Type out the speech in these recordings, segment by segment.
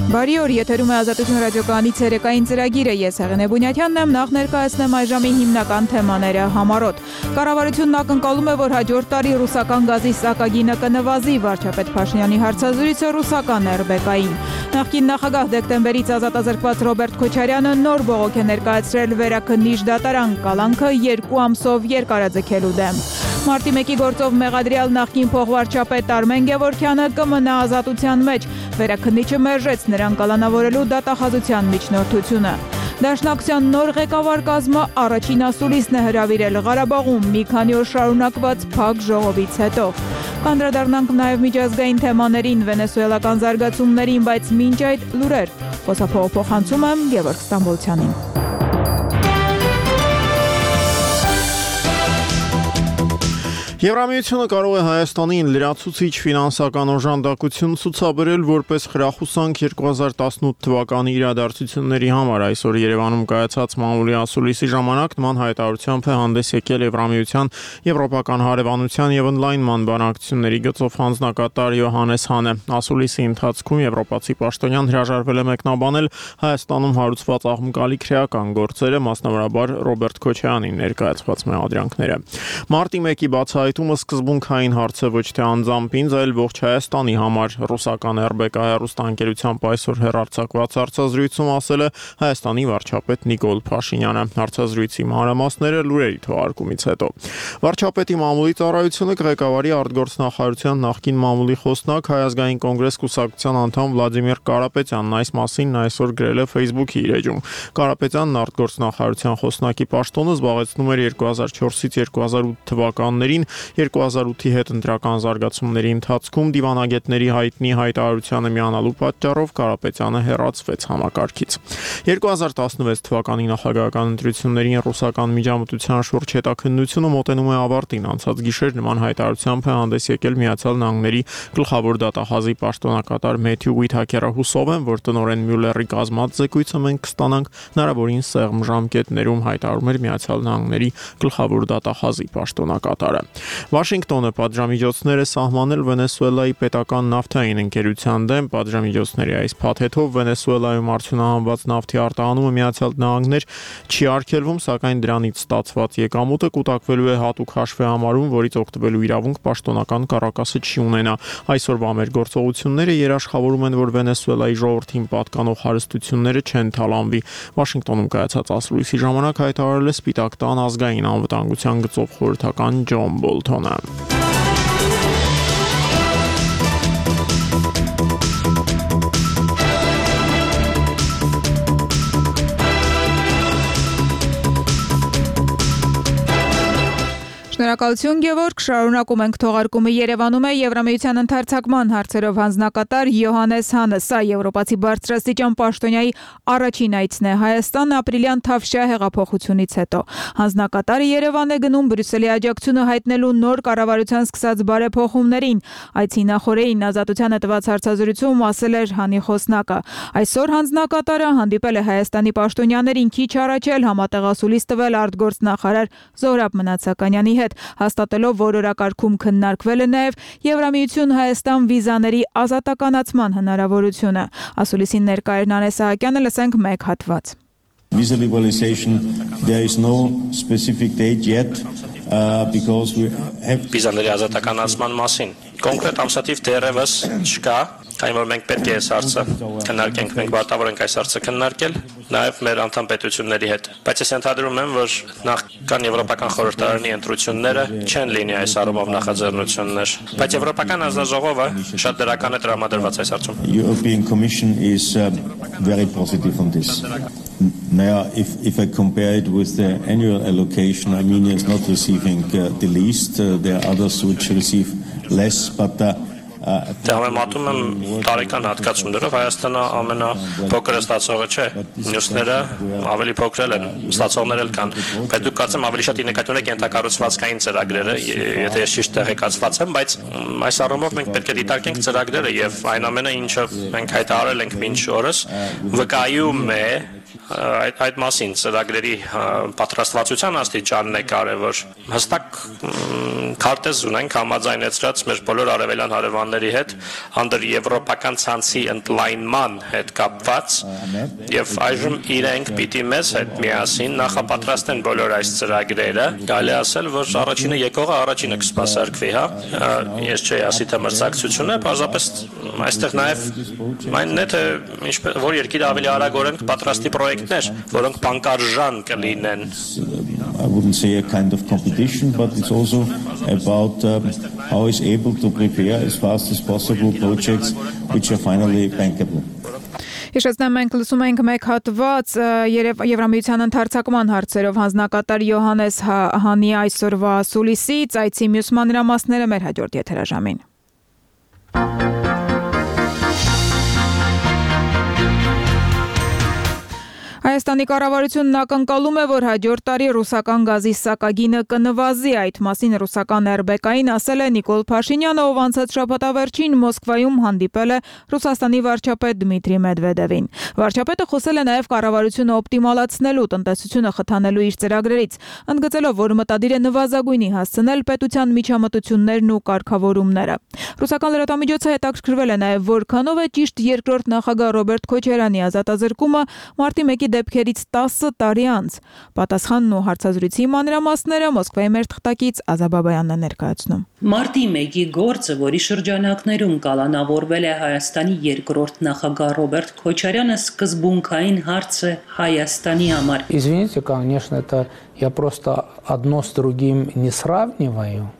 Բարի օր, եթերում է Ազատություն ռադիոկայանի ցերեկային ծրագիրը, ես Հեղինե Բունյաթյանն եմ, նախ ներկայացնեմ այս ժամի հիմնական թեմաները համառոտ։ Կառավարությունն ակնկալում է, որ հաջորդ տարի ռուսական գազի սակագինը կնվազի, վարչապետ Փաշինյանի հարցազրույցը ռուսական ՌԲԿ-ին։ Նախկին նախագահ դեկտեմբերից ազատազրկված Ռոբերտ Քոչարյանը նոր բողոք է ներկայացրել վերաքննիչ դատարան, կալանքը 2 ամսով երկարաձգելու դեմ։ Մարտի 1-ի գործով մեղադրյալ նախկին փոխվարչապետ Արմեն Գևորգյանը կմնա ազատության մեջ, վերաքննիչը մերժեց նրան կալանավորելու դատախազության միջնորդությունը։ Դաշնակցության նոր ղեկավար կազմը առաջին ասուլիսն է հրավիրել Ղարաբաղում մի քանի օր շարունակված փակ ժողովից հետո։ Կանդրադառնանք նաև միջազգային թեմաներին, վենեսուելական զարգացումներին, բայց մինչ այդ լուրեր։ Խոսափողը փոխանցում եմ Գևորգ Ստամբոլցյանին։ Եվրամիությունը կարող է Հայաստանին լրացուցիչ ֆինանսական օժանդակություն ցուցաբերել որպես խրախուսանք 2018 թվականի իրադարձությունների համար։ Այսօր Երևանում կայացած մամուլի ասուլիսի ժամանակ նման հայտարարությամբ է հանդես եկել Եվրամիության եվրոպական հարևանության եւ օնլայնման բանակցությունների գծով հանձնակատար Յոհանես Հանը։ Ասուլիսի ընթացքում եվրոպացի պաշտոնյան հրաժարվել է մեկնաբանել Հայաստանում հարուցված աղմկալի քրեական գործերը, մասնավորաբար Ռոբերտ Քոչարյանին ներկայացված մեղադրանքները։ Մարտի 1-ի բացահայտումը սկզբունքային հարց է ոչ թե անձամբ ինձ, այլ ողջ Հայաստանի համար, ռուսական ՌԲԿ հեռուստաընկերությամբ այսօր հեռարձակված հարցազրույցում ասել է Հայաստանի վարչապետ Նիկոլ Փաշինյանը։ Հարցազրույցի մանրամասները լուրերի թողարկումից հետո։ Վարչապետի մամուլի ծառայությունը ղեկավարի արտգործնախարարության նախկին մամուլի խոսնակ Հայ ազգային կոնգրես կուսակցության անդամ Վլադիմիր Կարապետյանն այս մասին այսօր գրել է Facebook-ի իր էջում։ Կարապետյանն արտգործնախարարության խոսնակի պաշտոնը զբաղեցնում էր 2004-ից 2008 թվականներին 2008-ի հետ ընտրական զարգացումների ընթացքում դիվանագետների հայտնի հայտարարությանը միանալու պատճառով Կարապետյանը հեռացվեց համակարգից։ 2016 թվականի նախագահական ընտրություններին ռուսական միջամտության շուրջ հետաքննությունը մոտենում է ավարտին։ Անցած գիշեր նման հայտարարությամբ է հանդես եկել Միացյալ Նահանգների գլխավոր դատախազի պաշտոնակատար Մեթյու Ուիթհաքերը։ Հուսով եմ, որ տնօրեն Մյուլլերի կազմած զեկույցը մենք կստանանք հնարավորին սեղմ ժամկետներում, հայտարարում էր Միացյալ Նահանգների գլխավոր դատախազի պաշտոնակատարը։ Վաշինգտոնը պատժամիջոցներ է սահմանել Վենեսուելայի պետական նավթային ընկերության դեմ։ Պատժամիջոցների այս փաթեթով Վենեսուելայում արդյունահանված նավթի արտահանումը Միացյալ Նահանգներ չի արգելվում, սակայն դրանից ստացված եկամուտը կուտակվելու է հատուկ հաշվի համարում, որից օգտվելու իրավունք պաշտոնական կառակասը չի ունենա։ Այսօրվա մեր գործողությունները երաշխավորում են, որ Վենեսուելայի ժողովրդին պատկանող հարստությունները չեն թալանվի։ Վաշինգտոնում կայացած ասուլիսի ժամանակ հայտարարել է Սպիտակ տան ազգային անվտանգության գծով խորհրդական Ջոն Բոլթոնը։ Շնորհակալություն Գևորգ, շարունակում ենք թողարկումը։ Երևանում է Եվրամիության ընդարձակման հարցերով հանձնակատար Յոհանես Հանը։ Սա եվրոպացի բարձրաստիճան պաշտոնյայի առաջին այցն է Հայաստան ապրիլյան Թավշյա հեղափոխությունից հետո։ Հանձնակատարը Երևան է գնում Բրյուսելի աջակցությունը հայտնելու նոր կառավարության սկսած բարեփոխումներին։ Այցի նախօրեին Ազատությանը տված հարցազրույցում ասել էր Հանի խոսնակը։ Այսօր հանձնակատարը հանդիպել է Հայաստանի պաշտոնյաներին, քիչ առաջ էլ համատեղ ասուլիս տվել արտգործնախարար Զոհրաբ Մնացականյանի հետ, հաստատելով, որ օրակարգում քննարկվել է նաև Եվրամիություն-Հայաստան վիզաների ազատականացման հնարավորությունը։ Ասուլիսին ներկա էր Նանե Սահակյանը, լսենք մեկ հատված։ Visa liberalization, there is no specific date yet because we have Վիզաների ազատականացման մասին կոնկրետ ամսաթիվ դեռևս չկա, այն որ մենք պետք է այս հարցը քննարկենք, մենք պարտավոր ենք այս հարցը քննարկել նաև մեր անդամ պետությունների հետ։ Բայց ես ենթադրում եմ, որ նախքան Եվրոպական խորհրդարանի ընտրությունները չեն լինի այս առումով նախաձեռնություններ, բայց Եվրոպական հանձնաժողովը շատ դրական է տրամադրված այս հարցում։ European Commission is very positive on this. Now, if I compare it with the annual allocation, Armenia is not receiving the least. There are others which receive less, but Համեմատում եմ տարեկան հատկացումներով Հայաստանը ամենափոքրը ստացողը չէ, մյուսները ավելի փոքր են, ստացողներ էլ կան, բայց դուք կարծեմ ավելի շատ նկատում եք ենթակառուցվածքային ծրագրերը, եթե ես ճիշտ տեղեկացված եմ, բայց այս առումով մենք պետք է դիտարկենք ծրագրերը եւ այն ամենը, ինչը մենք հայտարարել ենք մինչ օրս, վկայում է այդ մասին ծրագրերի պատրաստվածության աստիճանն է կարևոր։ Հստակ քարտեզ ունենք համաձայնեցրած մեր բոլոր արևելյան հարևանների հետ եվրոպական ցանցի ընդլայնման հետ կապված եւ այժմ իրենք պիտի մեզ հետ միասին նախապատրաստեն բոլոր այս ծրագրերը։ Կարելի է ասել, որ առաջինը եկողը առաջինը կսպասարկվի, հա։ Ես չէի ասի թե մրցակցությունը, պարզապես այստեղ նաեւ այն է թե որ երկիրը ավելի արագորեն կպատրաստի պրոյեկտներ, որոնք բանկարժան կլինեն։ I wouldn't say a kind of competition, but it's also about how is able to prepare as fast as possible projects which are finally bankable. Հիշեցնեմ, մենք լսում ենք մեկ հատված Եվրամիության ընդարձակման հարցերով հանձնակատար Յոհանես Հանի այսօրվա սուլիսից, այցի մյուս մանրամասները մեր հաջորդ եթերաժամին։ Հայաստանի կառավարությունն ակնկալում է, որ հաջորդ տարի ռուսական գազի սակագինը կնվազի, այդ մասին ռուսական ՌԲԿ-ին ասել է Նիկոլ Փաշինյանը, ով անցած շաբաթավերջին Մոսկվայում հանդիպել է Ռուսաստանի վարչապետ Դմիտրի Մեդվեդևին։ Վարչապետը խոսել է նաև կառավարությունը օպտիմալացնելու, տնտեսությունը խթանելու իր ծրագրերից, ընդգծելով, որ մտադիր է նվազագույնի հասցնել պետության միջամտություններն ու կարգավորումները։ Ռուսական լրատվամիջոցը հետաքրքրվել է նաև, որքանով է ճիշտ երկրորդ նախագահ Ռոբերտ Քոչարյանի ազատազրկումը մարտի 1-ի դեպքերից 10 տարի անց։ Պատասխանն ու հարցազրույցի մանրամասները Մոսկվայի մեր թղթակից Ազաբաբայանն է ներկայացնում։ Մարտի 1-ի գործը, որի շրջանակներում կալանավորվել է Հայաստանի երկրորդ նախագահ Ռոբերտ Քոչարյանը, սկզբունքային հարց է Հայաստանի համար։ Извините, конечно, это я просто одно с другим не сравниваю.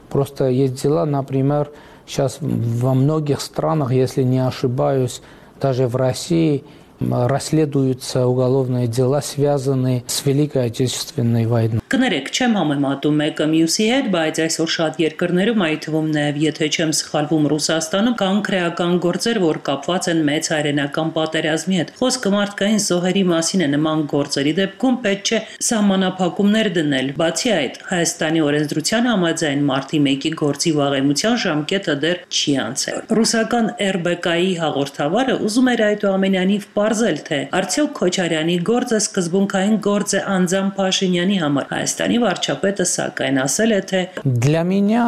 Просто есть дела, например, сейчас во многих странах, если не ошибаюсь, даже в России расследуются уголовные дела, связанные с Великой Отечественной войной. Կներեք, չեմ համեմատում մեկը մյուսի հետ, բայց այսօր շատ երկրներում, այդ թվում նաև եթե չեմ սխալվում Ռուսաստանում, կան քրեական գործեր, որ կապված են մեծ հայրենական պատերազմի հետ։ Խոսքը մարդկային զոհերի մասին է, նման գործերի դեպքում պետք չէ սահմանափակումներ դնել։ Բացի այդ, Հայաստանի օրենսդրության համաձայն մարտի 1-ի գործի վաղեմության ժամկետը դեռ չի անցել։ Ռուսական ՌԲԿ-ի հաղորդավարը ուզում էր այդուամենայնիվ պարզել, թե արդյոք Քոչարյանի գործը սկզբունքային գործ է անձամբ Փաշինյանի համար։ Հայաստանի վարչապետը սակայն ասել է, թե Для меня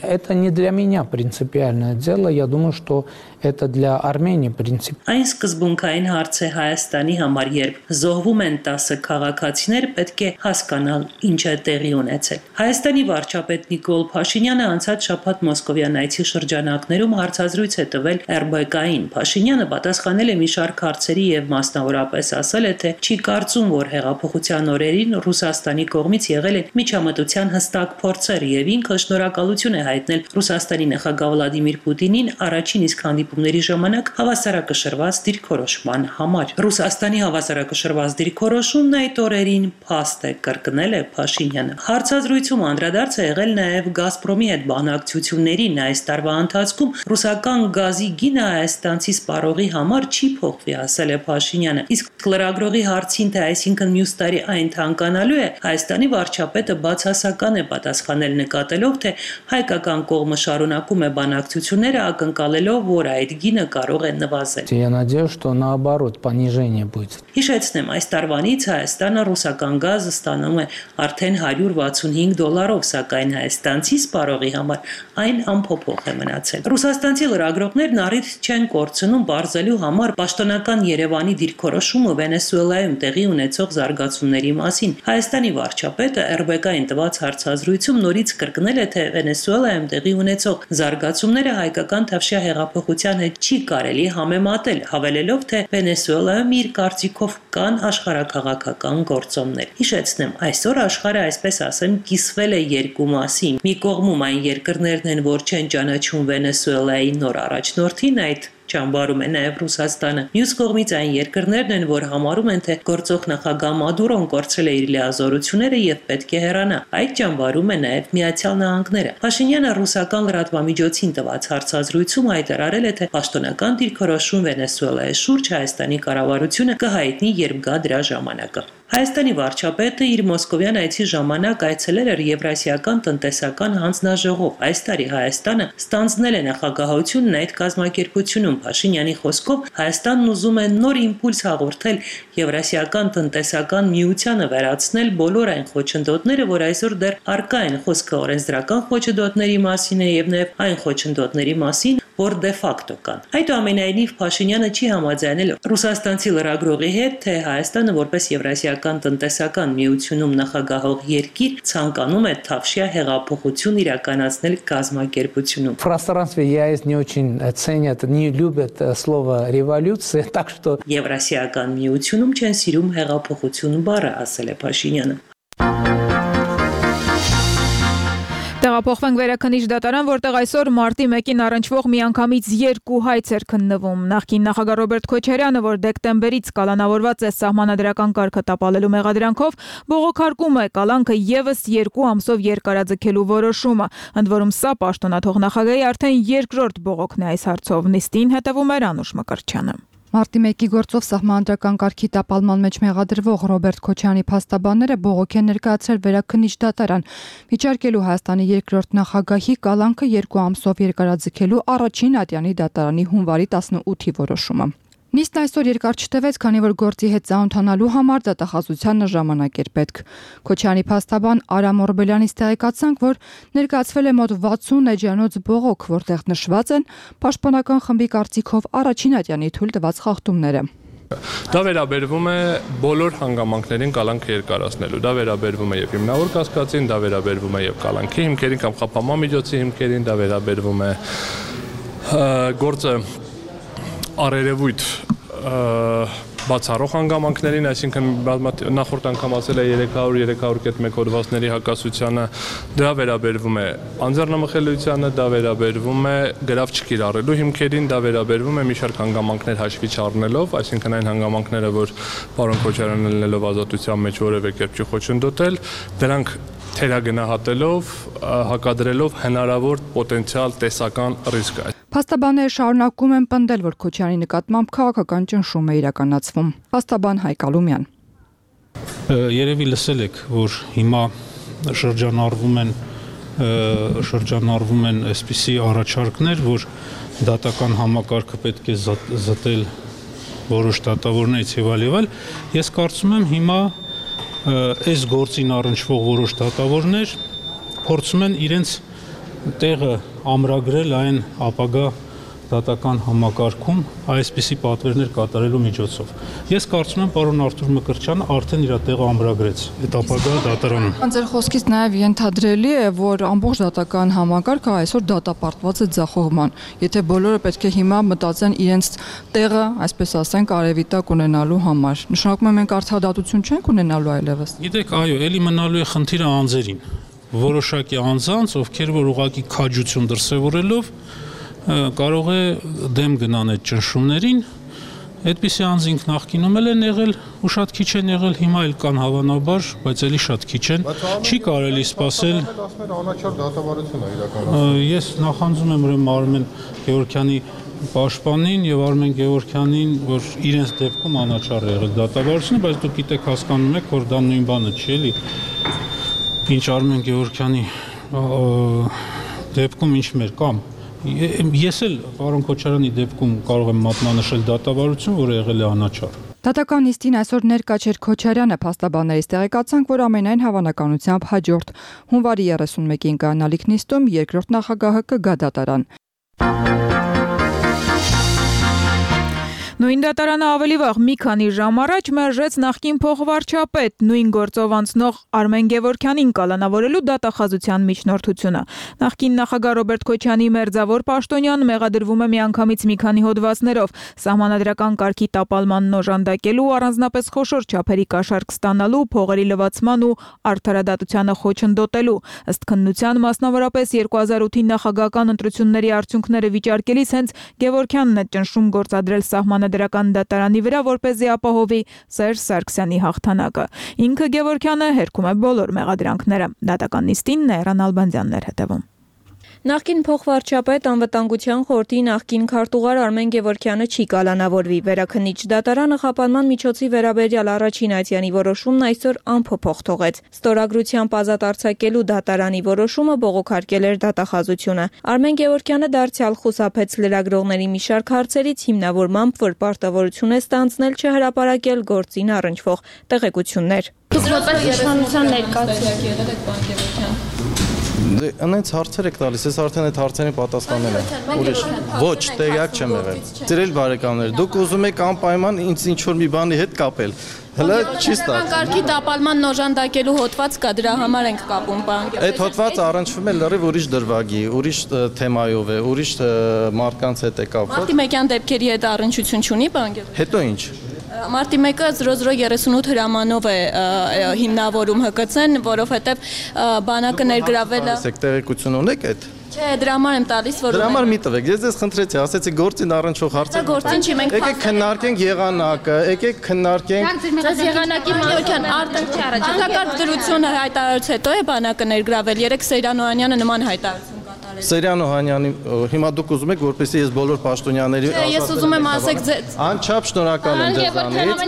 это не для меня принципиальное дело, я думаю, что это для Армении принципиально. Այն սկզբունքային հարց է Հայաստանի համար, երբ զոհվում են 10 քաղաքացիներ, պետք է հասկանալ ինչ է տեղի ունեցել։ Հայաստանի վարչապետ Նիկոլ Փաշինյանը անցած շաբաթ Մոսկովյան այցի շրջանակներում հարցազրույց է տվել ՌԲԿ-ին։ Փաշինյանը պատասխանել է մի շարք հարցերի եւ մասնավորապես ասել է, թե չի կարծում, որ հեղափոխության օրերին Ռուսաստանի կողմից եղել են միջամտության հստակ փորձեր եւ ինքը շնորհակալություն է հայտնել Ռուսաստանի նախագահ Վլադիմիր Պուտինին առաջին իսկ հանդիպումների ժամանակ հավասարակշռված դիրքորոշման համար։ Ռուսաստանի հավասարակշռված դիրքորոշումն այդ օրերին փաստ է, կրկնել է Փաշինյանը։ Հարցազրույցում անդրադարձ է եղել նաեւ Գազպրոմի հետ բանակցություններին։ Այս տարվա ընթացքում ռուսական գազի գինը հայաստանցի սպառողի համար չի փոխվի, ասել է Փաշինյանը։ Իսկ լրագրողի հարցին, թե այսինքն մյուս տարի այն թանկանալու է, Հայաստանի վարչապետը բացասական է պատասխանել, նկատելով, թե հայկական կողմը շարունակում է բանակցությունները, ակնկալելով, որ այդ գինը կարող է նվազել։ Я надеюсь, что наоборот понижение будет. Հիշեցնեմ, այս տարվանից Հայաստանը ռուսական գազը ստանում է արդեն $165, սակայն հայաստանցի սպառողի համար այն անփոփոխ է մնացել։ Ռուսաստանցի լրագրողներն առիթ չեն կորցնում բարձելու համար պաշտոնական Երևանի դիրքորոշումը Վենեսուելայում տեղի ունեցող զարգացումների մասին։ Հայաստանի վարչապետը ՌԲԿ-ին տված հարցազրույցում նորից կրկնել է, թե Վենեսուելայում տեղի ունեցող զարգացումները հայկական թավշյա հեղափոխության հետ չի կարելի համեմատել, հավելելով, թե Վենեսուելայում իր կարծիքով կան աշխարհաքաղաքական գործոններ։ Հիշեցնեմ, այսօր աշխարհը, այսպես ասեմ, կիսվել է երկու մասի։ Մի կողմում այն երկրներն են, որ չեն ճանաչում Վենեսուելայի նոր առաջնորդին, այդ ճամբարում է նաև Ռուսաստանը։ Մյուս կողմից այն երկրներն են, որ համարում են, թե գործող նախագահ Մադուրոն կորցրել է իր լիազորությունները եւ պետք է հեռանա։ Այդ ճամբարում է նաև Միացյալ Նահանգները։ Փաշինյանը ռուսական լրատվամիջոցին տված հարցազրույցում հայտարարել է, թե պաշտոնական դիրքորոշում Վենեսուելայի շուրջ Հայաստանի կառավարությունը կհայտնի, երբ գա դրա ժամանակը։ Հայաստանի վարչապետը իր մոսկովյան այցի ժամանակ այցելել էր Եվրասիական տնտեսական հանձնաժողով։ Այս տարի Հայաստանը ստանձնել է նախագահությունն այդ կազմակերպությունում։ Փաշինյանի խոսքով Հայաստանն ուզում է նոր իմպուլս հաղորդել Եվրասիական տնտեսական միությանը, վերացնել բոլոր այն խոչընդոտները, որ այսօր դեռ առկա են։ Խոսքը օրենսդրական խոչընդոտների մասին է եւ նաեւ այն խոչընդոտների մասին, որ դե ֆակտո կան։ Այդուամենայնիվ Փաշինյանը չի համաձայնել ռուսաստանցի լրագրողի հետ, թե Հայաստանը որպես Եվրասիական տնտեսական միությունում նախագահող երկիր ցանկանում է թավշյա հեղափոխություն իրականացնել կազմակերպությունում։ В пространстве ЕАЭС не очень ценят, не любят слово революция, так что Եվրասիական միությունում չեն սիրում հեղափոխություն բառը, ասել է Փաշինյանը։ Տեղափոխվենք Վերաքննիչ դատարան, որտեղ այսօր մարտի 1-ին առնչվող միանգամից 2 հայց էր քննվում։ Նախկին նախագահ Ռոբերտ Քոչարյանը, որ դեկտեմբերից կալանավորված է սահմանադրական կարգը տապալելու մեղադրանքով, բողոքարկում է կալանքը եւս 2 ամսով երկարաձգելու որոշումը։ Ընդ որում սա պաշտոնաթող նախագահի արդեն երկրորդ բողոքն է այս հարցով։ Նիստին հետևում էր Անուշ Մկրտչյանը։ Մարտի 1-ի գործով սահմանադրական կարգի տապալման մեջ մեղադրվող Ռոբերտ Քոչարյանի փաստաբանները բողոք են ներկայացրել Վերաքննիչ դատարան, վիճարկելու Հայաստանի երկրորդ նախագահի կալանքը 2 ամսով երկարաձգելու առաջին ատյանի դատարանի հունվարի 18-ի որոշումը։ Նիստն այսօր երկար չտևեց, քանի որ գործի հետ ծանոթանալու համար դատախազությանը ժամանակ էր պետք։ Քոչարյանի փաստաբան Արամ Օրբելյանից տեղեկացանք, որ ներկայացվել է մոտ 60 էջանոց բողոք, որտեղ նշված են պաշտպանական խմբի կարծիքով առաջին ատյանի թույլ տված խախտումները։ Դա վերաբերվում է բոլոր հանգամանքներին կալանքը երկարացնելու։ Դա վերաբերվում է եւ հիմնավոր կասկածին, դա վերաբերվում է եւ կալանքի հիմքերին կամ խափանման միջոցի հիմքերին, դա վերաբերվում է գործը առերևույթ բացառող հանգամանքներին, այսինքն նախորդ անգամ ասել է 300-300.1 հոդվածների հակասությանը, դա վերաբերվում է անձեռնամխելիությանը, դա վերաբերվում է գրավ չկիրառելու հիմքերին, դա վերաբերվում է մի շարք հանգամանքներ հաշվի չառնելով, այսինքն այն հանգամանքները, որ պարոն Քոչարյանը լինելով ազատության մեջ որևէ կերպ չի խոչընդոտել, դրանք թերագնահատելով, հակադրելով հնարավոր պոտենցիալ տեսական ռիսկ։ Փաստաբանները շարունակում են պնդել, որ Քոչարյանի նկատմամբ քաղաքական ճնշում է իրականացվում։ Փաստաբան Հայկ Ալումյան։ Երևի լսել եք, որ հիմա շրջանառվում են այսպիսի առաջարկներ, որ դատական համակարգը պետք է զտել որոշ դատավորներից եւ այլ։ Ես կարծում եմ հիմա այս գործին առնչվող որոշ դատավորներ փորձում են իրենց տեղը ամրագրել այն ապագա դատական համակարգում այսպիսի պատվերներ կատարելու միջոցով։ Ես կարծում եմ պարոն Արթուր Մկրտչյանը արդեն իր տեղը ամրագրեց այդ ապագա դատարանում։ Ձեր խոսքից նաև ենթադրելի է, որ ամբողջ դատական համակարգը այսօր դատապարտված է ձախողման։ Եթե բոլորը պետք է հիմա մտածեն իրենց տեղը, այսպես ասենք, արևի տակ ունենալու համար։ Նշանակում է մենք արդարադատություն չենք ունենալու այլևս։ Գիտեք, այո, ելի մնալու է խնդիրը անձերին։ Որոշակի անձանց, ովքեր որ ուղղակի քաջություն դրսևորելով կարող է դեմ գնան այդ ճնշումներին, այդպիսի անձինք նախկինում են եղել ու շատ քիչ են եղել, հիմա էլ կան հավանաբար, բայց էլի շատ քիչ են, չի կարելի սպասել։ Անաչառ դատավարություն է իրականացնում։ Ես նախանձում եմ ուրեմն Արմեն Գևորգյանի պաշտպանին եւ Արմեն Գևորգյանին, որ իրենց դեպքում անաչառ եղել դատավարությունը, բայց դուք գիտեք, հասկանում եք, որ դա նույն բանը չի, էլի։ Ինչ Արմեն Գևորգյանի դեպքում ինչ մեր կամ ես էլ պարոն Քոչարյանի դեպքում կարող եմ մատնանշել դատավարություն, որը եղել է անաչառ։ Դատական նիստին այսօր ներկա չէր Քոչարյանը, փաստաբաններից տեղեկացանք, որ ամենայն հավանականությամբ հաջորդ հունվարի 31-ին կանալիք նիստում երկրորդ նախագահը կգա դատարան։ Նույն դատարանը ավելի վաղ մի քանի ժամ առաջ մերժեց նախկին փոխվարչապետ նույն գործով անցնող Արմեն Գևորգյանին կալանավորելու դատախազության միջնորդությունը։ Նախկին նախագահ Ռոբերտ Քոչարյանի մերձավոր պաշտոնյան մեղադրվում է միանգամից մի քանի հոդվածներով՝ սահմանադրական կարգի տապալմանն օժանդակելու, առանձնապես խոշոր չափերի կաշառք ստանալու, փողերի լվացման ու արդարադատությանը խոչընդոտելու։ Ըստ քննության, մասնավորապես 2008-ի նախագահական ընտրությունների արդյունքները վիճարկելիս հենց Գևորգյանն է ճնշում գործադրել սահմանադրական դատարանի վրա, որպեսզի ապահովի Սերժ Սարգսյանի հաղթանակը։ Ինքը Գևորգյանը հերքում է բոլոր մեղադրանքները։ Դատական նիստին Նայրան Ալբանդյանն էր հետևում։ Նախկին փոխվարչապետ անվտանգության խորհրդի նախկին քարտուղար Արմեն Գևորգյանը չի կալանավորվի։ Վերաքննիչ դատարանը խափանման միջոցի վերաբերյալ առաջին այցյանի որոշումն այսօր անփոփոխ թողեց։ Ստորագրությամբ ազատ արձակելու դատարանի որոշումը բողոքարկել էր դատախազությունը։ Արմեն Գևորգյանը դարձյալ խուսափեց լրագրողների մի շարք հարցերից, հիմնավորմամբ, որ պարտավորություն է ստանձնել չհրապարակել գործին առնչվող տեղեկություններ։ Դուք որպես իշխանության Անենց հարցեր եք տալիս, ես արդեն այդ հարցերին պատասխանել եմ։ Ուրիշ ոչ, տեղյակ չեմ եղել։ Ծերել բարեկամներ, դուք ուզում եք անպայման ինձ ինչ-որ մի բանի հետ կապել։ Հələ չի ստացվում։ Կարգի տապալման նոժանդակելու հոդված կա, դրա համար ենք կապում, պարոն Գևորգյան։ Այդ հոդվածը առնչվում է լրիվ ուրիշ դրվագի, ուրիշ թեմայով է, ուրիշ մարդկանց հետ է կապված։ Մարտի 1-յան դեպքերի հետ առնչություն չունի, պարոն Գևորգյան։ Հետո ինչ։ Մարտի 1-ը 0038 հրամանով է հիմնավորում ՀԿՑ-ն, որովհետև բանակը ներգրավել է։ Տեղեկություն ունեք այդ։ Չէ, դրա համար եմ տալիս, որ դրա համար մի տվեք։ Ես ձեզ խնդրեցի, ասեցի գործին առնչող հարցեր։ Գործին չի, մենք եկեք քննարկենք եղանակը, եկեք քննարկենք։ Ձեզ եղանակի Գևորգյան արտակարգ դրությունը հայտարարից հետո է բանակը ներգրավել։ Երեք Սեյրան Օհանյանը նման հայտարարություն Սեյրան Օհանյանի հիմա դուք ուզում եք որպեսզի ես բոլոր պաշտոնյաների Ես ուզում եմ ասեք ձեզ անչափ շնորհակալ եմ ձեզանից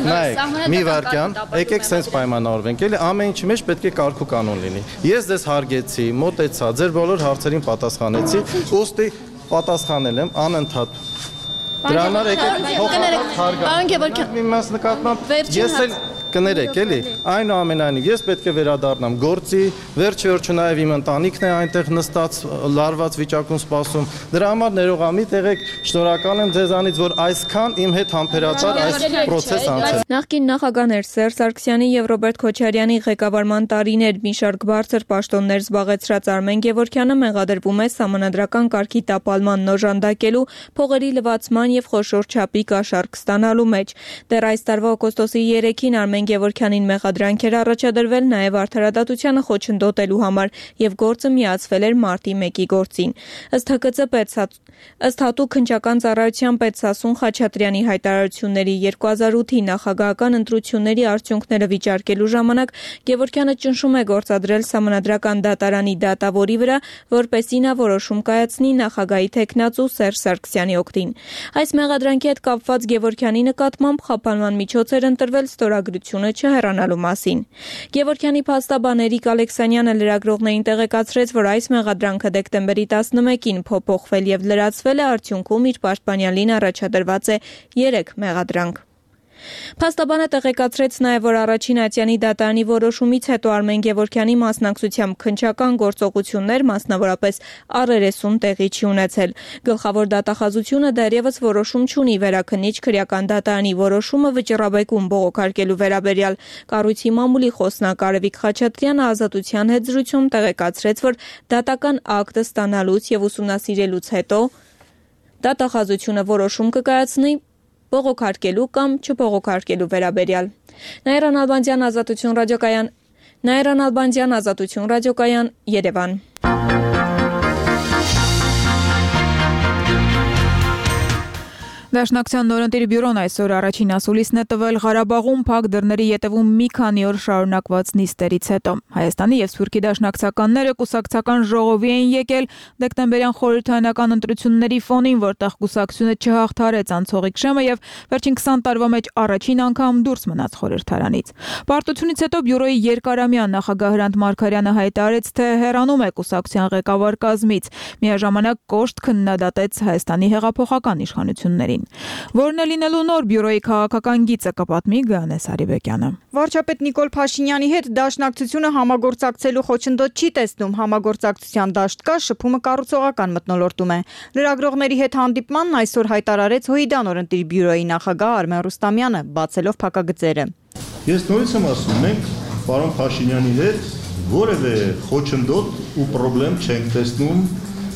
նայեք մի վարքյան եկեք սենց պայմանավորվենք էլի ամեն ինչի մեջ պետք է կարգ ու կանոն լինի ես ձեզ հարգեցի մոտեցա ձեր բոլոր հարցերին պատասխանեցի ուստի պատասխանել եմ անընդհատ դրա համար եկեք փոխանակ հարգանք մի մաս նկատմամբ ես էլ կներեք էլի այնուամենայնիվ ես պետք է վերադառնամ գործի վերջը նաև իմ ընտանիքն է այնտեղ նստած լարված վիճակում սպասում դրա համար ներողամիտ եղեք շնորհակալ եմ ձեզանից որ այսքան իմ հետ համբերաբար այս process անցել Նախկին նախագահներ Սերժ Սարգսյանի եւ Ռոբերտ Քոչարյանի ղեկավարման տարիներ մի շարք բարձր պաշտոններ զբաղեցրած Արմեն Գևորգյանը մեղադրվում է սահմանադրական կարգի տապալման նոժանդակելու փողերի լվացման եւ խոշոր չափի կաշառք ստանալու մեջ դեռ այս տարվա օգոստոսի 3-ին Արմեն Գևորգյանին մեղադրանքեր առաջադրվել նաև արդարադատությանը խոչընդոտելու համար եւ գործը միացվել էր մարտի 1-ի գործին։ Ըստ հատուկ քննչական ծառայության պետ Սասուն Խաչատրյանի հայտարարությունների 2008-ի նախագահական ընտրությունների արդյունքները վիճարկելու ժամանակ Գևորգյանը ճնշում է գործադրել սահմանադրական դատարանի դատավորի վրա, որպեսզի նա որոշում կայացնի նախագահի թեկնածու Սերժ Սարգսյանի օգտին։ Այս մեղադրանքի հետ կապված Գևորգյանի նկատմամբ խափանման միջոց էր ընտրվել ստորագրություն չհեռանալու մասին։ Գևորգյանի փաստաբան Էրիկ Ալեքսանյանը լրագրողներին տեղեկացրեց, որ այս մեղադրանքը դեկտեմբերի 11-ին փոփոխվել եւ լրացվել է արդյունքում իր պաշտպանյալին առաջադրված է 3 մեղադրանք։ Փաստաբանը տեղեկացրեց նաև, որ առաջին ատյանի դատարանի որոշումից հետո Արմեն Գևորգյանի մասնակցությամբ քննչական գործողություններ, մասնավորապես առերեսում տեղի չի ունեցել։ Գլխավոր դատախազությունը դեռևս որոշում չունի վերաքննիչ քրեական դատարանի որոշումը վճռաբեկում բողոքարկելու վերաբերյալ։ Կառույցի մամուլի խոսնակ Արևիկ Խաչատրյանը ազատության հետ զրույցում տեղեկացրեց, որ դատական ակտը ստանալուց եւ ուսումնասիրելուց հետո դատախազությունը որոշում կկայացնի բողոքարկելու կամ չբողոքարկելու վերաբերյալ։ Նաիրան Ալբանդյան ազատություն ռադիոկայան Երևան Դաշնակցության նորընտիր բյուրոն այսօր առաջին ասուլիսն է տվել Ղարաբաղում փակ դռների ետևում մի քանի օր շարունակված նիստերից հետո։ Հայաստանի եւ Սփյուռքի դաշնակցականները կուսակցական ժողովի են եկել դեկտեմբերյան խորհրդարանական ընտրությունների ֆոնին, որտեղ կուսակցությունը չհաղթարեց անցողիկ շեմը եւ վերջին 20 տարվա մեջ առաջին անգամ դուրս մնաց խորհրդարանից։ Պարտությունից հետո բյուրոյի երկարամյա նախագահ Հրանտ Մարգարյանը հայտարարեց, թե հեռանում է կուսակցության ղեկավար կազմից։ Միաժամանակ կոշտ քննադատեց Հայաստանի հեղափոխական իշխանություններին։ Որն է լինելու նոր բյուրոյի քաղաքական գիծը կպատմի Գայանե Սարիբեկյանը։ Վարչապետ Նիկոլ Փաշինյանի հետ դաշնակցությունը համագործակցելու խոչընդոտ չի տեսնում, համագործակցության դաշտ կա, շփումը կառուցողական մթնոլորտում է։ Լրագրողների հետ հանդիպմանն այսօր հայտարարեց ՀՅԴ նորընտիր բյուրոյի նախագահ Արմեն Ռուստամյանը, բացելով փակագծերը։ Ես նորից եմ ասում, մենք պարոն Փաշինյանի հետ որևէ խոչընդոտ ու խնդրեմ չենք տեսնում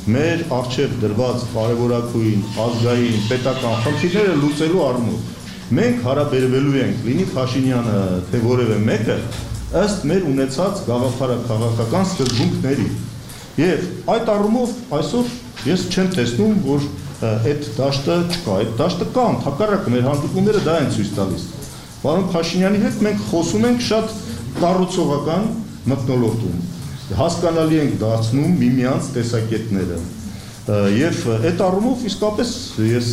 մեր առջև դրված կարևորագույն ազգային պետական խնդիրները լուծելու առումով մենք հարաբերվելու ենք լինի Փաշինյանը թե որևէ մեկը ըստ մեր ունեցած գաղափարաքաղաքական սկզբունքների եւ այդ առումով այսօր ես չեմ տեսնում որ այդ դաշտը չկա այդ դաշտը կա ընդհակառակը մեր հանդիպումները դա են ցույց տալիս պարոն Փաշինյանի հետ մենք խոսում ենք շատ կառուցողական մթնոլորտում հասկանալի ենք դարձնում միմյանց տեսակետները։ Եվ այդ առումով իսկապես ես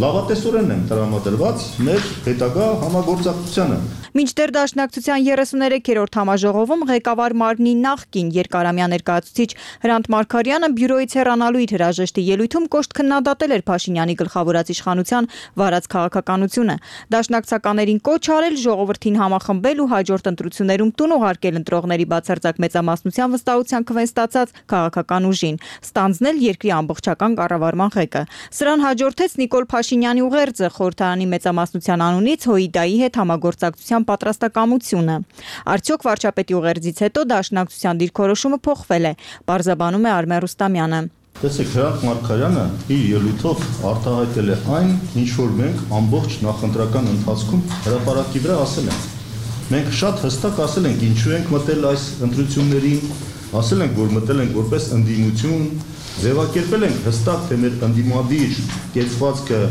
լավատեսորեն եմ տրամադրված մեր հետագա համագործակցությանը։ Մինչդեռ Դաշնակցության 33-րդ համաժողովում ղեկավար մարմնի նախկին երկարամյա ներկայացուցիչ Հրանտ Մարգարյանը բյուրոյից հեռանալու իր հրաժեշտի ելույթում կոշտ քննադատել էր Փաշինյանի գլխավորած իշխանության վարած քաղաքականությունը։ Դաշնակցականներին կոչ արել ժողովրդին համախմբել ու հաջորդ ընտրություններում տուն ուղարկել ընտրողների բացարձակ մեծամասնության վստահության քվեն ստացած քաղաքական ուժին, ստանձնել երկրի ամբողջական կառավարման ղեկը։ Սրան հաջորդեց Նիկոլ Փաշինյանի ուղերձը խորհրդարանի մեծամասնության անունից ՀՅԴ-ի հետ համագործակցության պատրաստակամությունը։ Արդյոք վարչապետի ուղերձից հետո Դաշնակցության դիրքորոշումը փոխվել է, պարզաբանում է Արմեն Ռուստամյանը։ Տեսեք, Հրանտ Մարգարյանը իր ելույթով արտահայտել է այն, ինչ որ մենք ամբողջ նախընտրական ընթացքում հրապարակի վրա ասել ենք։ Մենք շատ հստակ ասել ենք, ինչու ենք մտել այս ընտրություններին, ասել ենք, որ մտել ենք որպես ընդդիմություն, ձևակերպել ենք հստակ, թե մեր ընդդիմադիր կեցվածքը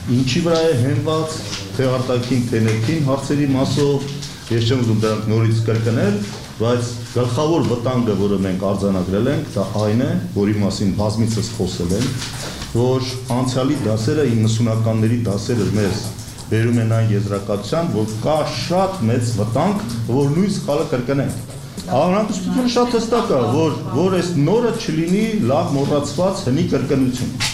ինչի վրա է հենված, թե արտաքին, թե ներքին հարցերի մասով, ես չեմ ուզում դրանք նորից կրկնել, բայց գլխավոր վտանգը, որը մենք արձանագրել ենք, դա այն է, որի մասին բազմիցս խոսել ենք, որ անցյալի դասերը 90-ականների դասերը մեզ բերում են այն եզրակացության, որ կա շատ մեծ վտանգ, որ նույն սխալը կրկնենք։ Անհանգստությունը շատ հստակ է, որ այս նորը չլինի լավ մոռացված հնի կրկնություն։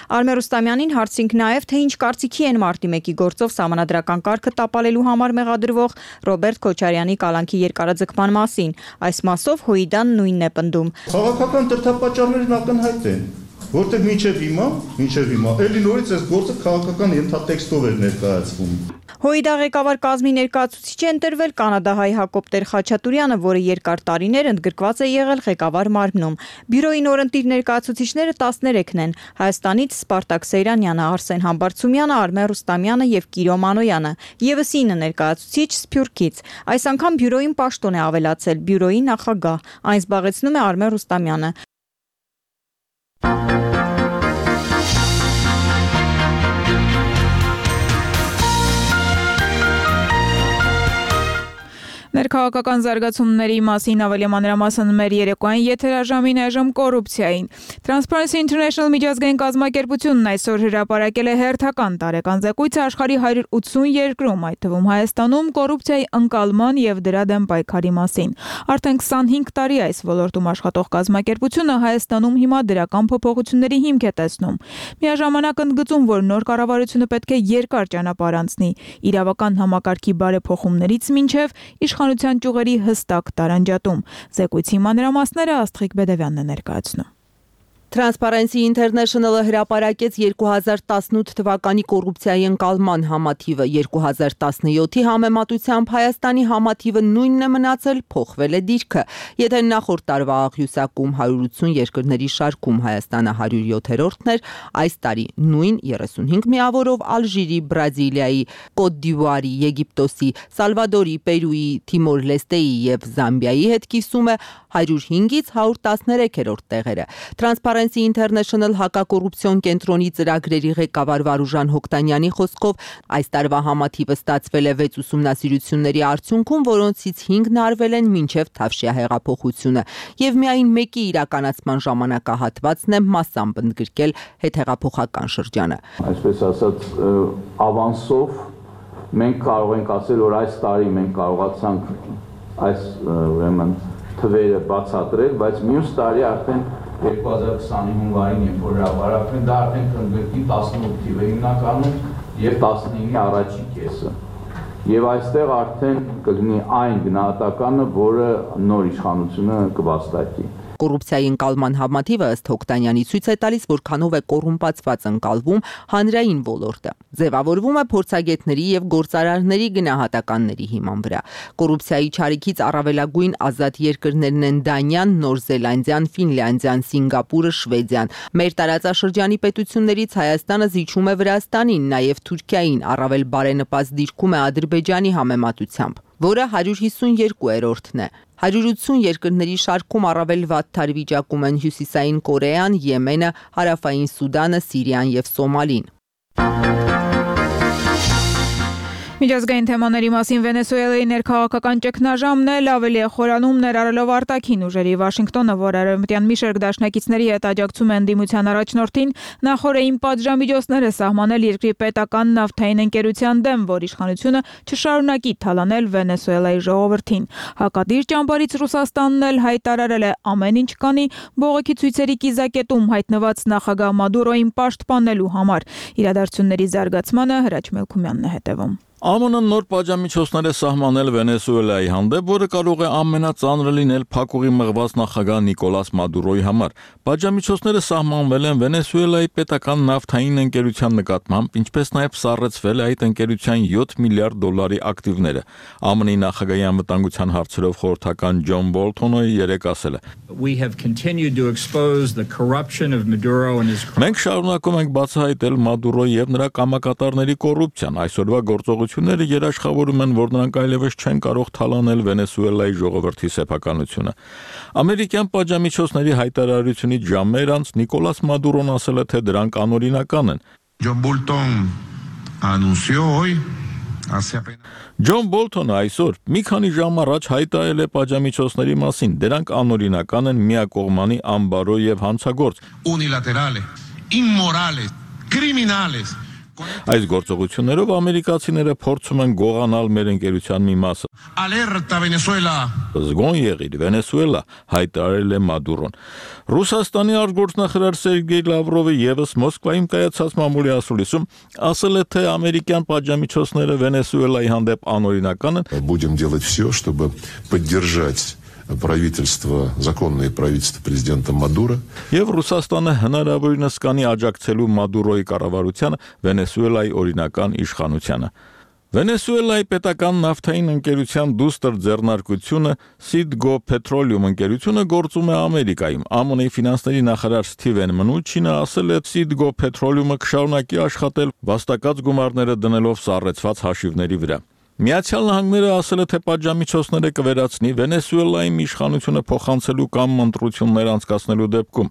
Արմեն Ռուստամյանին հարցինք նաև, թե ինչ կարծիքի են մարտի 1-ի գործով սահմանադրական կարգը տապալելու համար մեղադրվող Ռոբերտ Քոչարյանի կալանքի երկարաձգման մասին։ Այս մասով ՀՅԴ-ն նույնն է պնդում։ Քաղաքական դրդապատճառներն ակնհայտ են, որտեղ մինչև հիմա, էլի նորից այս գործը քաղաքական ենթատեքստով էր ներկայացվում։ ՀՅԴ ղեկավար կազմի ներկայացուցիչ է ընտրվել կանադահայ Հակոբ Տեր-Խաչատուրյանը, որը երկար տարիներ ընդգրկված է եղել ղեկավար մարմնում։ Բյուրոյի նորընտիր ներկայացուցիչները 13-ն են՝ Հայաստանից Սպարտակ Սեյրանյանը, Արսեն Համբարձումյանը, Արմեն Ռուստամյանը եւ Կիրո Մանոյանը, եւս 9 ներկայացուցիչ Սփյուռքից։ Այս անգամ բյուրոյին պաշտոն է ավելացել բյուրոյի նախագահ։ Այն զբաղեցնում է Արմեն Ռուստամյանը։ Ներքաղաքական զարգացումների մասին ավելի մանրամասն մեր երեկոյան եթերաժամին այժմ կոռուպցիային։ Transparency International միջազգային կազմակերպությունն այսօր հրապարակել է հերթական տարեկան զեկույցը աշխարհի 180 երկրում, այդ թվում Հայաստանում կոռուպցիայի ընկալման եւ դրա դեմ պայքարի մասին։ Արդեն 25 տարի այս ոլորտում աշխատող կազմակերպությունը Հայաստանում հիմա դրական փոփոխությունների հիմք է տեսնում։ Միաժամանակ ընդգծում, որ նոր կառավարությունը պետք է երկար ճանապարհ անցնի իրավական համակարգի բարեփոխումներից մինչև իշխանության ճյուղերի հստակ տարանջատում։ Զեկույցի մանրամասները Աստղիկ Բեդևյանն է ներկայացնում։ Transparency International-ը հրապարակեց 2018 թվականի կոռուպցիայի ընկալման համաթիվը, 2017-ի համեմատությամբ Հայաստանի համաթիվը նույնն է մնացել, փոխվել է դիրքը։ Եթե նախորդ տարվա աղյուսակում 180 երկրների շարքում Հայաստանը 107-րդն էր, այս տարի նույն 35 միավորով Ալժիրի, Բրազիլիայի, Կոտ դ'Իվուարի, Եգիպտոսի, Սալվադորի, Պերուի, Թիմոր Լեստեի եւ Զամբիայի հետ կիսում է 105-ից 113-րդ տեղերը։ Transparency International հակակոռուպցիոն կենտրոնի ծրագրերի ղեկավար Վարուժան Հոկտանյանի խոսքով այս տարվա համաթիվը ստացվել է 6 ուսումնասիրությունների արդյունքում, որոնցից 5-ն արվել են մինչև Թավշյա հեղափոխությունը, եւ միայն մեկի իրականացման ժամանակահատվածն է մասամբ ընդգրկել հետհեղափոխական շրջանը։ Այսպես ասած, ավանսով մենք կարող ենք ասել, որ այս տարի մենք կարողացանք այս ուրեմն թվերը բացատրել, բայց մյուս տարի արդեն 2020-ի հունվարին, երբ որ հրապարակվեն, դա արդեն կընդգրկի 18 թիվը հիմնականում եւ 15-ի առաջի կեսը։ Եվ այստեղ արդեն կլինի այն գնահատականը, որը նոր իշխանությունը կվաստակի։ Կոռուպցիայի ընկալման համաթիվը ըստ Հոկտանյանի ցույց է տալիս, որքանով է կոռումպացված ընկալվում հանրային ոլորտը։ Ձևավորվում է փորձագետների եւ գործարարների գնահատականների հիման վրա։ Կոռուպցիայի չարիքից առավելագույն ազատ երկրներն են Դանիան, Նոր Զելանդիան, Ֆինլանդիան, Սինգապուրը, Շվեդիան։ Մեր տարածաշրջանի պետություններից Հայաստանը զիջում է Վրաստանին, նաեւ Թուրքիային, առավել բարենպաստ դիրքում է Ադրբեջանի համեմատությամբ, որը 152-րդն է։ 180 երկրների շարքում առավել վատ թարվիճակում են Հյուսիսային Կորեան, Եմենը, Հարավային Սուդանը, Սիրիան եւ Սոմալին։ Միջազգային թեմաների մասին Վենեսուելայի ներքաղաքական ճգնաժամն էլ ավելի է խորանում ներառելով արտաքին ուժերի Վաշինգտոնը, որ արևմտյան մի շարք դաշնակիցների հետ աջակցում է ընդդիմության առաջնորդին, նախորդին պատժամիջոցները սահմանել երկրի պետական նավթային ընկերության դեմ, որ իշխանությունը չշարունակի թալանել Վենեսուելայի ժողովրդին։ Հակադիր ճամբարից Ռուսաստանն էլ հայտարարել է ամեն ինչ կանի բողոքի ցույցերի կիզակետում հայտնված նախագահ Մադուրոին պաշտպանելու համար։ Իրադարձությունների զարգացմանը Հրաչ Մելքումյանն է հետևում։ ԱՄՆ-ն նոր պատժամիջոցներ է սահմանել Վենեսուելայի հանդեպ, որը կարող է ամենածանրը լինել փակուղի մղված նախագահ Նիկոլաս Մադուրոյի համար։ Պատժամիջոցները սահմանվել են Վենեսուելայի պետական նավթային ընկերության նկատմամբ, ինչպես նաև սառեցվել է այդ ընկերության $7 միլիարդ ակտիվները։ ԱՄՆ-ի նախագահի անվտանգության հարցերով խորհրդական Ջոն Բոլթոնը երեկ ասել է. Մենք շարունակում ենք բացահայտել Մադուրոյի եւ նրա կամակատարների կոռուպցիան։ Այսօրվա գործողությունները երաշխավորում են, որ նրանք այլևս չեն կարող թալանել Վենեսուելայի ժողովրդի սեփականությունը։ Ամերիկյան պատժամիջոցների հայտարարությունից ժամեր անց Նիկոլաս Մադուրոն ասել է, թե դրանք անօրինական են։ Ջոն Բոլթոնը այսօր մի քանի ժամ առաջ հայտարարել է պատժամիջոցների մասին։ Դրանք անօրինական են, միակողմանի, անբարո եւ հանցագործ։ Այս գործողություններով ամերիկացիները փորձում են գողանալ մեր ընկերության մի մասը։ Զգոն եղիր, Վենեսուելա, հայտարարել է Մադուրոն։ Ռուսաստանի արտգործնախարար Սերգեյ Լավրովը եւս Մոսկվայում կայացած մամուլի ասուլիսում ասել է, թե ամերիկյան պատժամիջոցները Վենեսուելայի հանդեպ անօրինական են։ Будем делать все, чтобы поддержать правительство, законное правительство президента Мадуро. Եվ Ռուսաստանը հնարավորինս կանի աջակցելու Մադուրոյի կառավարությանը Վենեսուելայի օրինական իշխանությանը։ Վենեսուելայի պետական նավթային ընկերության դուստր ձեռնարկությունը Citgo Petroleum ընկերությունը գործում է Ամերիկայում։ ԱՄՆ-ի ֆինանսների նախարար Սթիվեն Մնուչինը ասել է, Citgo Petroleum-ը կշարունակի աշխատել վաստակած գումարները դնելով սառեցված հաշիվների վրա։ Միացյալ Նահանգները ասել է, թե պատժամիջոցները կվերացնի Վենեսուելայի իշխանությունը փոխանցելու կամ ընտրություններ անցկացնելու դեպքում։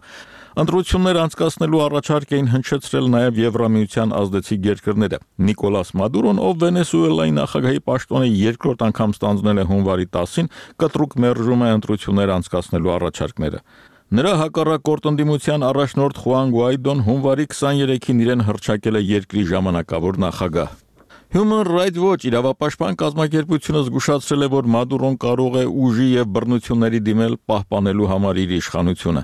Ընտրություններ անցկացնելու առաջարկ էին հնչեցրել նաև Եվրամիության ազդեցիկ երկրները։ Նիկոլաս Մադուրոն, ով Վենեսուելայի նախագահի պաշտոնը երկրորդ անգամ ստանձնել է հունվարի 10-ին, կտրուկ մերժում է ընտրություններ անցկացնելու առաջարկները։ Նրա հակառակորդ ընդդիմության առաջնորդ Խուան Գուայդոն հունվարի 23-ին իրեն հռչակել է երկրի ժամանակավոր նախագահ։ Human Rights Watch իրավապաշտպան կազմակերպությունը զգուշացրել է, որ Մադուրոն կարող է ուժի եւ բռնությունների դիմել պահպանելու համար իր իշխանությունը։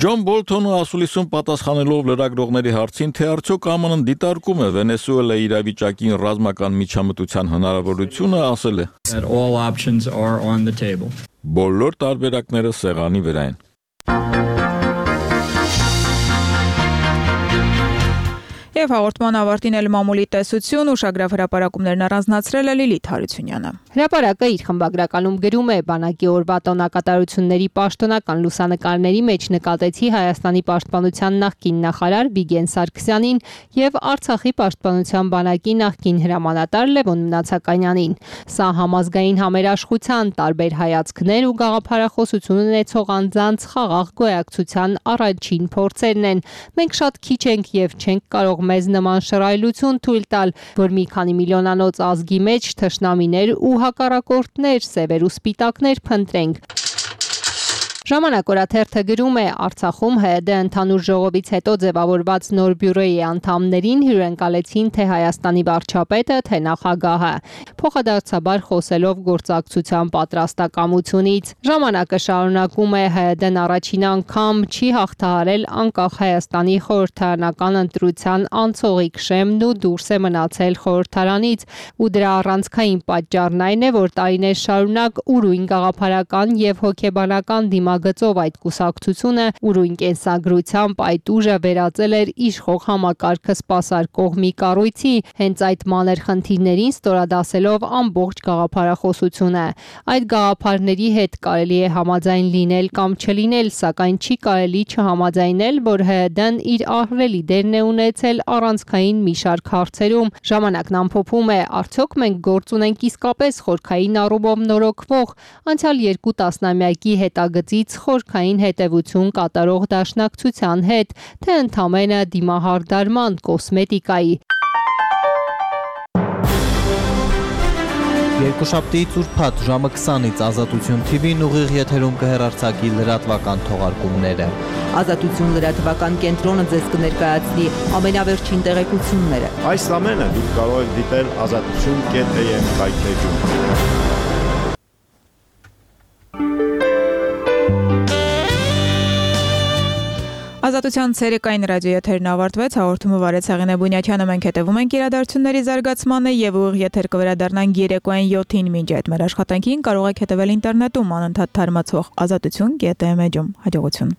Ջոն Բոլթոնը ասուլիսում պատասխանելով լրագրողների հարցին, թե արդյոք ԱՄՆ-ն դիտարկում է Վենեսուելայի իրավիճակին ռազմական միջամտության հնարավորությունը, ասել է. Բոլոր տարբերակները սեղանի վրա են։ Եվ հաղորդման ավարտին էլ մամուլի տեսություն ուշագրավ հրապարակումներն առանձնացրել է Լիլիթ Հարությունյանը։ Հրապարակը իր խմբագրականում գրում է. բանակի օրվա տոնակատարությունների պաշտոնական լուսանկարների մեջ նկատեցի Հայաստանի պաշտպանության նախկին նախարար Վիգեն Սարգսյանին եւ Արցախի պաշտպանության բանակի նախկին հրամանատար Լևոն Մնացականյանին։ Սա համազգային համերաշխության, տարբեր հայացքներ ու գաղափարախոսություն ունեցող անձանց խաղաղ գոյակցության առաջին փորձերն են։ Մենք շատ քիչ ենք եւ չենք կարող մեզ նման շռայլություն թույլ տալ, որ մի քանի միլիոնանոց ազգի մեջ թշնամիներ ու հակառակորդներ, սևեր ու սպիտակներ փնտրենք։ Ժամանակ օրաթերթը գրում է. Արցախում ՀՅԴ ընդհանուր ժողովից հետո ձևավորված նոր բյուրոյի անդամներին հյուրընկալեցին թե Հայաստանի վարչապետը, թե նախագահը, փոխադարձաբար խոսելով գործակցության պատրաստակամությունից։ Ժամանակը շարունակում է ՀՅԴ-ն առաջին անգամ չի հաղթահարել անկախ Հայաստանի խորհրդարանական ընտրության անցողիկ շեմն ու դուրս է մնացել խորհրդարանից, ու դրա առանցքային պատճառն այն է, որ տարիներ շարունակ ուրույն գաղափարական եւ հոգեբանական դիմագծով այդ կուսակցությունը ուրույն կենսագրությամբ այդ ուժը վերածել էր իշխող համակարգը սպասարկող մի կառույցի, հենց այդ մանր խնդիրներին ստորադասելով ամբողջ գաղափարախոսությունը։ Այդ գաղափարների հետ կարելի է համաձայն լինել կամ չլինել, սակայն չի կարելի չհամաձայնել, որ ՀՅԴ-ն իր ահռելի դերն է ունեցել առանցքային մի շարք հարցերում։ Ժամանակն ամփոփում է. արդյոք մենք գործ ունենք իսկապես խորքային առումով նորոգվող, անցյալ 2 տասնամյակի հետագծից խորքային հետևություն կատարող դաշնակցության հետ, թե ընդամենը դիմահարդարման կոսմետիկայի։ Երկուշաբթիից ուրբաթ ժամը 20-ից Ազատություն TV-ն ուղիղ եթերում կհեռարձակի լրատվական թողարկումները։ Ազատություն լրատվական կենտրոնը ձեզ կներկայացնի ամենավերջին տեղեկությունները։ Այս ամենը դուք կարող եք դիտել azatutun.am կայքէջում։ Ազատության ցերեկային ռադիոեթերն ավարտվեց, հաղորդումը վարեց Հեղինե Բունյաթյանը, մենք հետևում ենք իրադարձությունների զարգացմանը եւ ուղիղ եթեր կվերադառնանք երեկոյան 7-ին, մինչ այդ մեր աշխատանքին կարող եք հետևել ինտերնետում անընդհատ թարմացող azatutun.am էջում։ Հաջողություն։